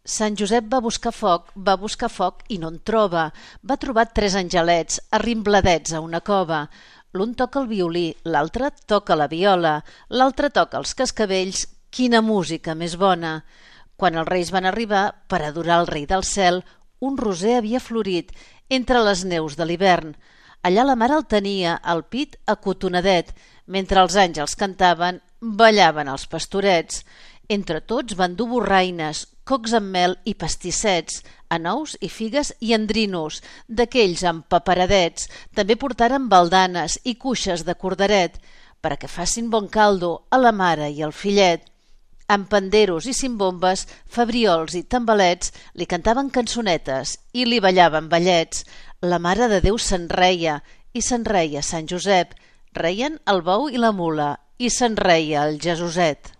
Sant Josep va buscar foc i no en troba. Va trobar tres angelets arrimbladets a una cova. L'un toca el violí, l'altre toca la viola, l'altre toca els cascavells. Quina música més bona! Quan els reis van arribar per adorar el rei del cel, un roser havia florit entre les neus de l'hivern. Allà la mare el tenia, al pit acotonadet, mentre els àngels cantaven, ballaven els pastorets. Entre tots van dur borraines, cocs amb mel i pastissets, anous i figues i endrinos, d'aquells amb paperadets. També portaren baldanes i cuixes de cordaret, per a que facin bon caldo a la mare i al fillet. Amb panderos i cimbombes, febriols i tambalets, li cantaven cançonetes i li ballaven ballets. La Mare de Déu se'n reia i se'n reia Sant Josep. Reien el bou i la mula i se'n reia el Jesuset.